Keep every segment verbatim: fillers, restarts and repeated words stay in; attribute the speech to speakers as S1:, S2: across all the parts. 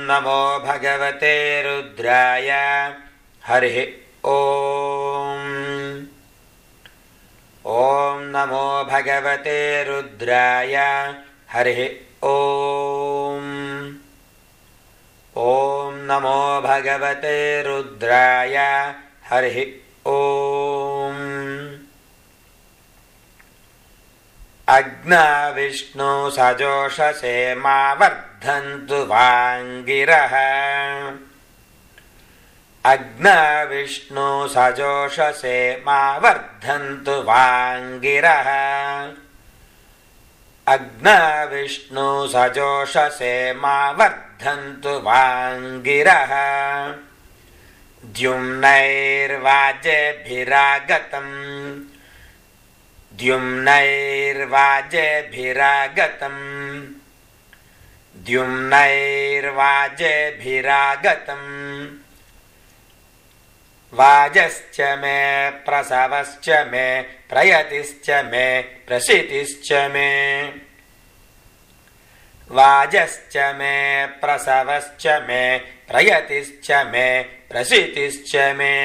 S1: नमो भगवते रुद्राय हरिः ॐ ॐ नमो भगवते रुद्राय हरिः ॐ ॐ नमो भगवते रुद्राय हरिः ॐ अग्ना विष्णु सजोषसे मा वर्धन्तु वाङ्गिरः अग्ना विष्णु सजोषसे मा वर्धन्तु वाङ्गिरः अग्ना विष्णु सजोषसे मा वर्धन्तु वाङ्गिरः द्युम्नैर्वाजेभिरागतम् द्युम्नैर्वाजेभिरागतम् द्युम्नैर्वाजेभिरागतम् वाजश्च मे प्रसवश्च मे प्रयतिश्च मे प्रसितिश्च मे वाजश्च मे प्रसवश्च मे प्रयतिश्च मे प्रसितिश्च मे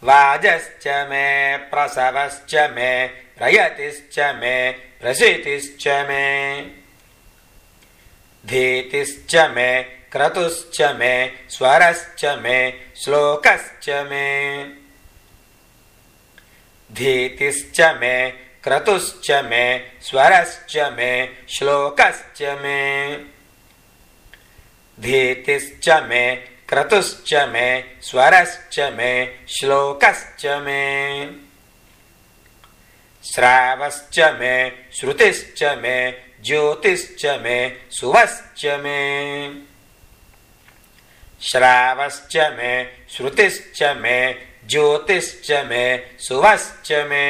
S1: वाजश्च मे प्रसवश्च मे प्रयतिश्च मे प्रसितिश्च मे धीतिश्च मे क्रतुश्च मे स्वरश्च मे श्लोकश्च मे धीतिश्च मे क्रतुश्च मे स्वरश्च मे श्लोकश्च मे धीतिश्च मे क्रतुश्च मे स्वरश्च मे श्लोकश्च मे श्रावश्च मे श्रुतिश्च मे ज्योतिश्च मे सुवश्च मे श्रावश्च मे श्रुतिश्च मे ज्योतिश्च मे सुवश्च मे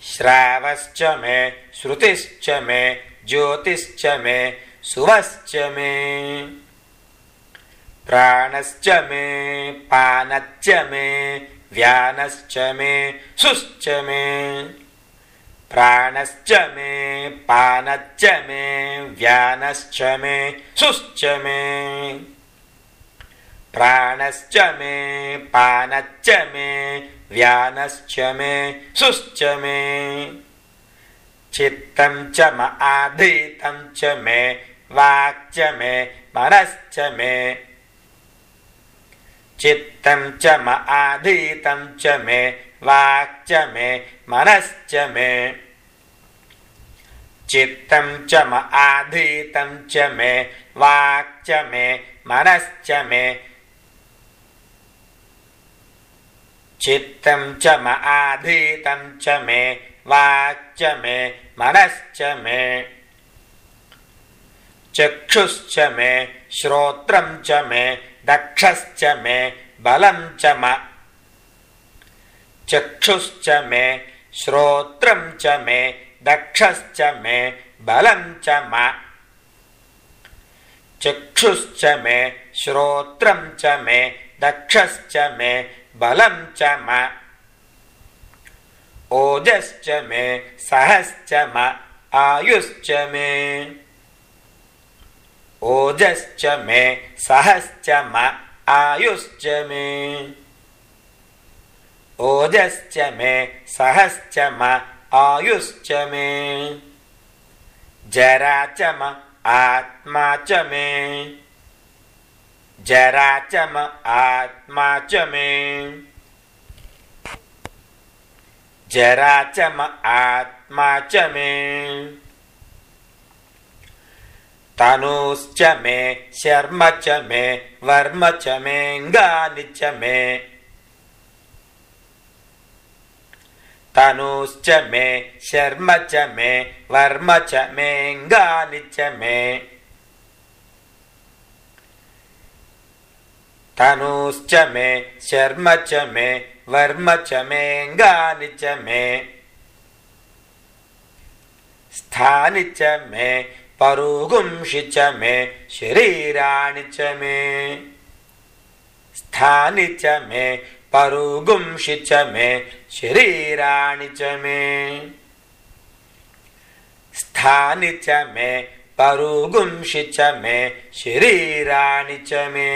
S1: श्रावश्च मे श्रुतिश्च मे ज्योतिश्च मे सुवश्च मे प्राणश्च मे पानश्च मे व्यानश्च मे सुश्च मे प्राणश्च मे पानश्च मे व्यानश्च मे सुश्च मे प्राणश्च मे पानश्च मे व्यानश्च मे सुश्च मे चित्तं च म आधीतं च मे वाक्च मे मनश्च मे चित्तं च म आधीतं च मे वाक्च मे मनश्च मे चित्तं च म आधीतं च मे वाक्च मे मनश्च मे चित्तं च म आधीतं च मे वाक्च मे मनश्च मे चक्षुश्च मे श्रोत्रं च मे दक्षश्च मे बलं च म चक्षुश्च मे श्रोत्रं च मे दक्षश्च मे बलं च म चक्षुश्च मे श्रोत्रं च मे दक्षश्च मे बलं च म ओजश्च मे सहश्च म आयुश्च मे ओजश्च मे सहश्च म आयुश्च मे ओजश्च मे सहश्च म आयुश्च मे जरा च म आत्मा च मे जरा च म आत्मा च मे जरा च म आत्मा च मे तनुश्च मे शर्म च मे वर्म च मेऽङ्गानि च मे तनुश्च मे शर्म च मे वर्म च मेऽङ्गानि च मे तनुश्च मे शर्म च मे वर्म च मेऽङ्गानि च मे स्थानि च मे परुगुंषि च मे शरीराणि च मे स्थानि च मे परुगुंषि च मे शरीराणि च मे स्थानि च मे परुगुंषि च मे शरीराणि च मे।